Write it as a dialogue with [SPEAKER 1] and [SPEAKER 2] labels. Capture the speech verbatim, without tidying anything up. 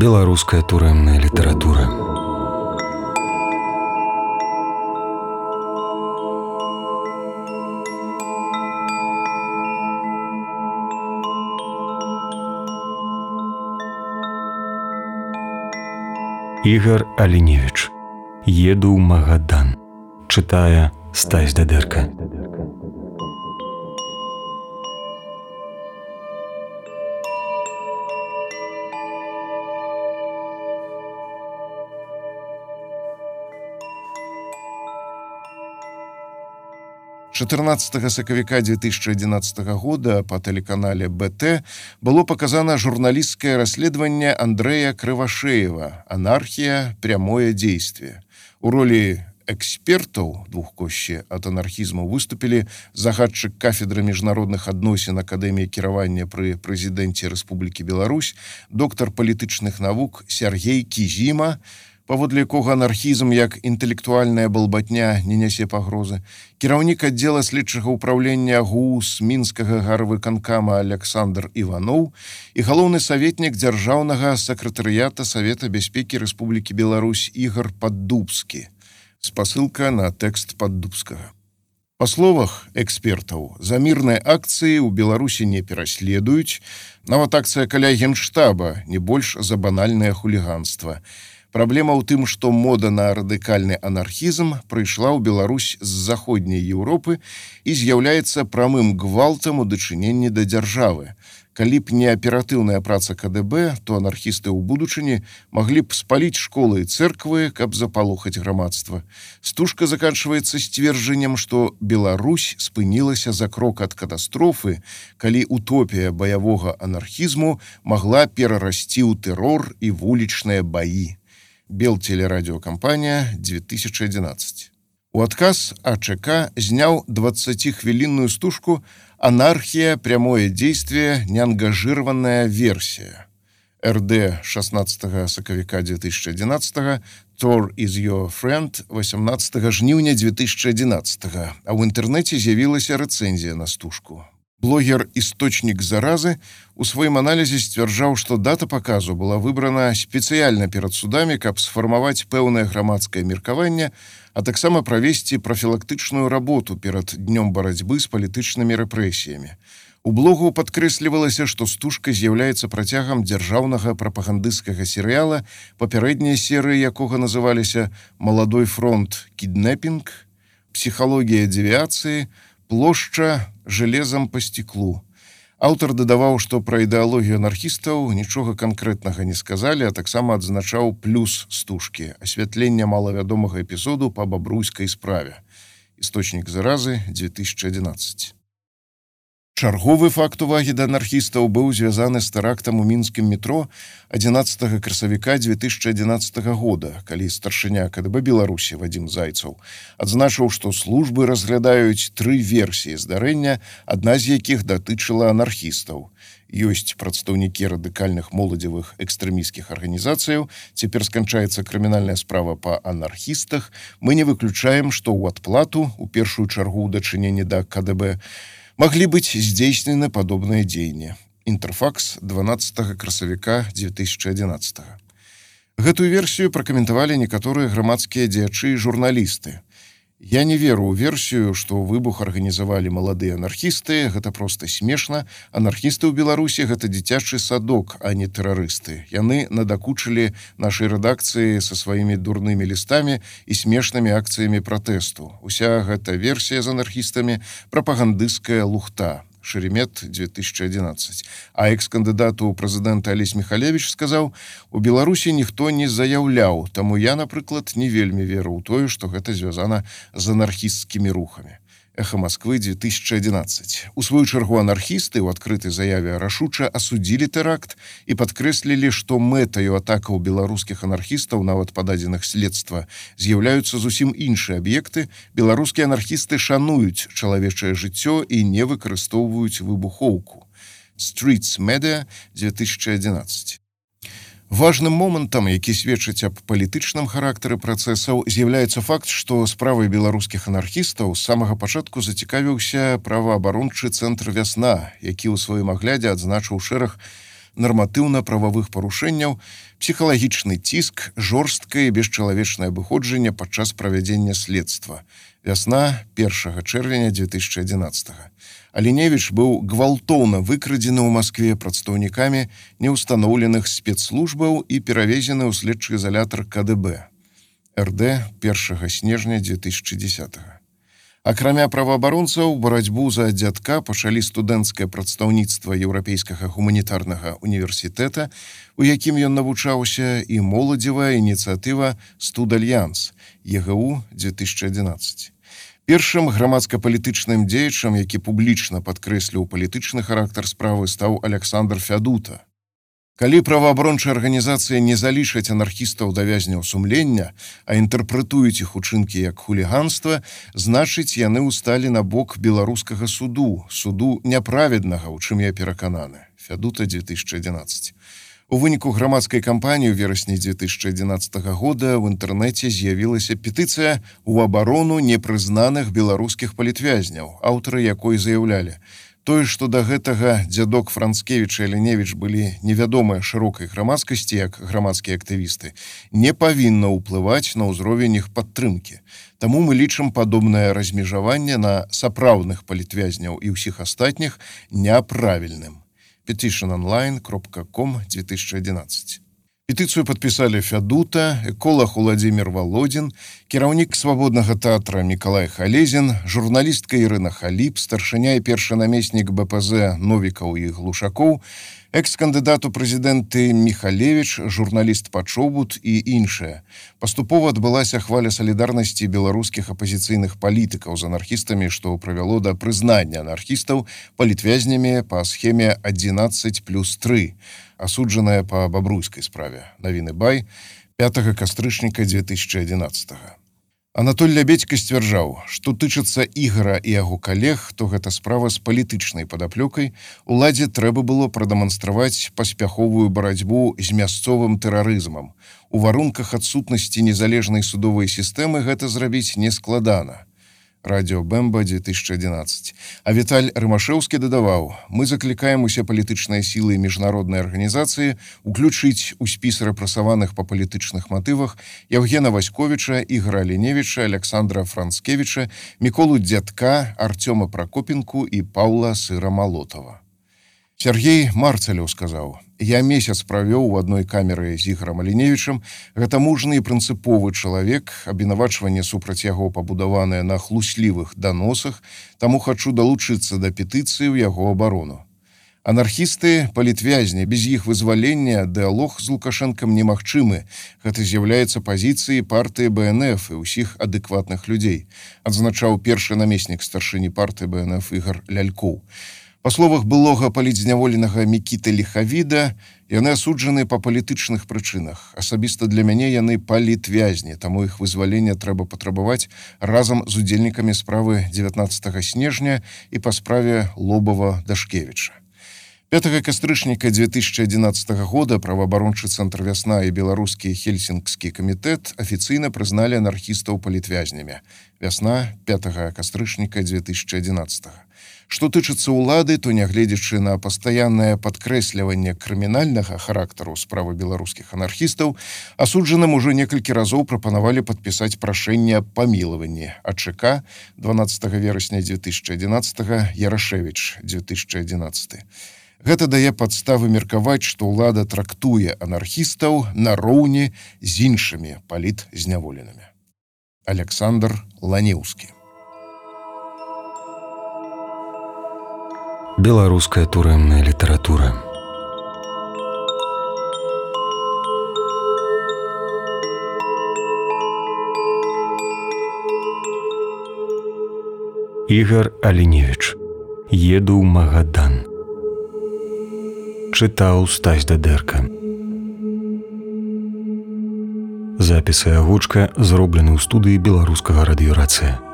[SPEAKER 1] Беларуская турэмная літаратура. Ігар Аліневіч. Еду ў Магадан. Чытае Стась Дадэрка.
[SPEAKER 2] чатырнаццатага сакавіка дзве тысячы адзінаццатага года па тэлеканале БТ было паказана журналісцкае расследаванне Андрэя Крывашеева «Анархія. Прямое действие». У ролі экспертаў двухкосці ад анархізму выступілі загадчык кафедры міжнародных адносін Акадэміі кіравання пры прэзідэнце Рэспублікі Беларусь, доктар палітычных навук Сяргей Кізіма, паводле якога анархізм як інтэлектуальная балбатня не нясе пагрозы, кіраўнік аддзела следчага ўпраўлення ГУС мінскага гарвыканкама Александр Іваноў і галоўны саветнік дзяржаўнага сакратарыята Савета бяспекі Рэспублікі Беларусь Ігар Паддубскі. Спасылка на тэкст Паддубскага. Па словах экспертаў, за мірныя акцыі ў Беларусі не пераследуюць, нават акцыя каля генштаба не больш за банальнае хуліганства. Праблема ў тым, што мода на радыкальны анархізм прыйшла ў Беларусь з заходняй Еўропы і з'яўляецца прамым гвалтам у дачыненні да дзяржавы. Калі б не аператыўная праца КДБ, то анархісты ў будучыні маглі б спаліць школы і цэрквы, каб запалохаць грамадства. Стужка заканчваецца сцверджаннем, што Беларусь спынілася за крок ад катастрофы, калі утопія баявога анархізму магла перарасці ў тэрор і вулічныя баі. Белтелерадиокомпания, две тысячи одиннадцать. У адказ АЧК зняў двадцатихвілінную стужку «Анархия. Прямое действие. Неангажированная версия». РД шестнадцатага сакавіка две тысячи одиннадцатого, Tor is your friend восемнадцатага жніўня две тысячи одиннадцатого, а ў інтэрнэце з'явілася рэцэнзія на стужку. Блогер «Источник заразы» у сваім аналізе сцвярджаў, што дата паказу была выбрана спецыяльна перад судамі, каб сфармаваць пэўнае грамадскае меркаванне, а таксама правесці прафілактычную работу перад днём барацьбы з палітычнымі рэпрэсіямі. У блогу падкрэслівалася, што стужка з'яўляецца працягам дзяржаўнага прапагандысцкага серыяла, папярэднія серыі якога называліся «Маладой фронт. Кіднэпінг», «Псіхалогія девіацыі», «Плошча железам по стеклу». Аўтар дадаваў, што пра ідэалогію анархістаў нічога канкрэтнага не сказалі, а таксама адзначаў плюс стужкі – асвятленне малавядомага эпізоду па бабруйскай справе. Істочнік заразы, две тысячи одиннадцать. Чарговы факт увагі да анархістаў быў звязаны з тэрактам у мінскім метро адзінаццатага красавіка две тысячи одиннадцатого года, калі старшыня КДБ Беларусі Вадзім Зайцаў адзначыў, што службы разглядаюць тры версіі здарэння, адна з якіх датычыла анархістаў. Ёсць прадстаўнікі радыкальных моладзевых экстрэмісцкіх арганізацыяў, цяпер сканчаецца крымінальная справа па анархістах. Мы не выключаем, што ў адплату, у першую чаргу ў дачыненні да КДБ, маглі быць здзейснены падобныя дзеянні. Інтэрфакс дванаццатага красавіка две тысячи одиннадцатого. Гэтую версію пракаментавалі некаторыя грамадскія дзеячы і журналісты. Я не веру ў версію, што выбух арганізавалі маладыя анархісты, гэта проста смешна. Анархісты ў Беларусі гэта дзіцячы садок, а не тэрарысты. Яны надакучылі нашай рэдакцыі са сваімі дурнымі лістамі і смешнымі акцыямі пратэсту. Уся гэта версія з анархістамі прапагандысцкая лухта. Шеремет, две тысячи одиннадцать. А экс-кандыдат у прэзідэнта Алесь Міхалевіч сказаў, у Беларусі ніхто не заяўляў, таму я, напрыклад, не вельмі веру ў тое, што гэта звязана з анархісцкімі рухамі. Эхо Москвы, две тысячи одиннадцать. У сваю чаргу анархісты ў адкрытай заяве рашуча асудзілі тэракт і падкрэслілі, што мэтаю атакаў беларускіх анархістаў, нават па дадзеных следства, з'яўляюцца зусім іншыя аб'екты. Беларускія анархісты шануюць чалавечае жыццё і не выкарыстоўваюць выбухоўку. Streets Media, две тысячи одиннадцать. Важным момантам, які сведчыць аб палітычным характары працэсаў, з'яўляецца факт, што справай беларускіх анархістаў з самага пачатку зацікавіўся праваабарончы цэнтр «Вясна», які ў сваім аглядзе адзначыў шэраг нарматыўна-прававых парушэнняў, псіхалагічны ціск, жорсткае і бесчалавечнае абыходжанне падчас правядзення следства. Вясна першага чэрвеня дзве тысячы адзінаццатага. Аліневіч быў гвалтоўна выкрадзены ў Маскве прадстаўнікамі неўстаноўленых спецслужбаў і перавезены ў следчы изалятар ка дэ бэ. эр дэ першага снежня дзве тысячы дзесятага. Акрамя праваабаронцаў, барацьбу за дзядка пачалі студэнцкае прадстаўніцтва Еўрапейскага гуманітарнага універсітэта, у якім ён навучаўся, і моладзевая ініцыятыва «Студальянс» е гэ у дзве тысячы адзінаццаць. Першым грамадска-палітычным дзеячам, які публічна падкрэсліў палітычны характар справы, стаў Александр Фядута. Калі праваабарончыя арганізацыі не залічаць анархістаў да вязняў сумлення, а інтэрпрэтуюць іх учынкі як хуліганства, значыць, яны ўсталі на бок беларускага суду, суду няправеднага, у чым я перакананы. Фядута дзве тысячы адзінаццаць. У выніку грамадскай кампаніі ў верасні дзве тысячы адзінаццатага года ў інтэрнэце з'явілася петыцыя ў абарону непрызнаных беларускіх палітвязняў, аўтары якой заяўлялі: тое, што да гэтага дзядок Францкевіч і Аліневіч былі невядомыя шырокай грамадскасці як грамадскія актывісты, не павінна ўплываць на ўзровень іх падтрымкі. Таму мы лічым падобнае размежаванне на сапраўдных палітвязняў і ўсіх астатніх няправільным. петишн онлайн кропка ком дзве тысячы адзінаццаць. Петыцыю падпісалі Фядута, эколог Уладзімір Валодзін, кіраўнік свабоднага тэатра Мікалай Халезін, журналістка Ірына Халіп, старшыня і першы намеснік бэ пэ зэ Новікаў і Глушакоў, экс-кандыдат у прэзідэнты Міхалевіч, журналіст Пачобут і іншыя. Паступова адбылася хваля салідарнасці беларускіх апазіцыйных палітыкаў з анархістамі, што прывяло да прызнання анархістаў палітвязнямі па схеме адзінаццаць плюс тры, асуджаная па бабруйскай справе. Навіны Бай, пятага кастрычніка дзве тысячы адзінаццатага. Анатоль Лябедзька сцвярджаў, што тычыцца Ігара і яго калег, то гэта справа з палітычнай падаплёкай, уладзе трэба было прадэманстраваць паспяховую барацьбу з мясцовым тэрарызмам. У варунках адсутнасці незалежнай судовай сістэмы гэта зрабіць нескладана. Радіо Бэмба дзве тысячы адзінаццаць. А Віталь Рымашэўскі дадаваў: мы заклікаем усе палітычныя сілы і міжнародныя арганізацыі уключыць у спіс рэпрэсаваных па палітычных матывах Яўгена Васьковіча, Ігара Аліневіча, Александра Францкевіча, Міколу Дзядка, Артёма Пракопенку і Паўла Сыра Малотава. Сергей Марцалёў сказаў: я месяц правёў у адной камеры з Ігорам Аліневічам. Гэта мужны і прынцыповы чалавек, абвінавачванне супраць яго пабудаванае на хлуслівых даносах, таму хачу далучыцца да петыцыі ў яго абарону. Анархісты, палітвязні, без іх вызвалення дыалог з Лукашэнкам немагчымы. Гэта з'яўляецца пазіцыяй партыі бэ эн эф і ўсіх адэкватных людзей, адзначаў першы намеснік старшыні партыі бэ эн эф Ігар Лялькоў. Па словах былога палітзняволенага Мікіты Ліхавіда, яны асуджаны па палітычных прычынах. Асабіста для мяне яны палітвязні, таму іх вызвалення трэба патрабаваць разам з удзельнікамі справы дзевятнаццатага снежня і па справе Лобава-Дашкевіча. пятага кастрычніка дзве тысячы адзінаццатага года праваабарончы цэнтр «Вясна» і беларускі Хельсінкскі камітэт афіцыйна прызналі анархістаў палітвязнямі. «Вясна» пятага кастрычніка дзве тысячы адзінаццатага. Што тычыцца ўлады, то нягледзячы на пастаяннае падкрэсліванне крымінальнага характару справы беларускіх анархістаў, асуджаным ужо некалькі разоў прапанавалі падпісаць прашэнне аб памілаванні. а чэ ка дванаццатага верасня дзве тысячы адзінаццатага, Ярашэвіч дзве тысячы адзінаццаты. Гэта дае падставы меркаваць, што ўлада трактуе анархістаў нароўні з іншымі палітзняволенымі. Александр Ланеўскі.
[SPEAKER 1] Беларуская турэмная літаратура. Ігар Аліневіч. Еду ў Магадан. Чытаў Стась Дадэрка. Запісы і агучка зроблены ў студыі беларускага радыёрацыя.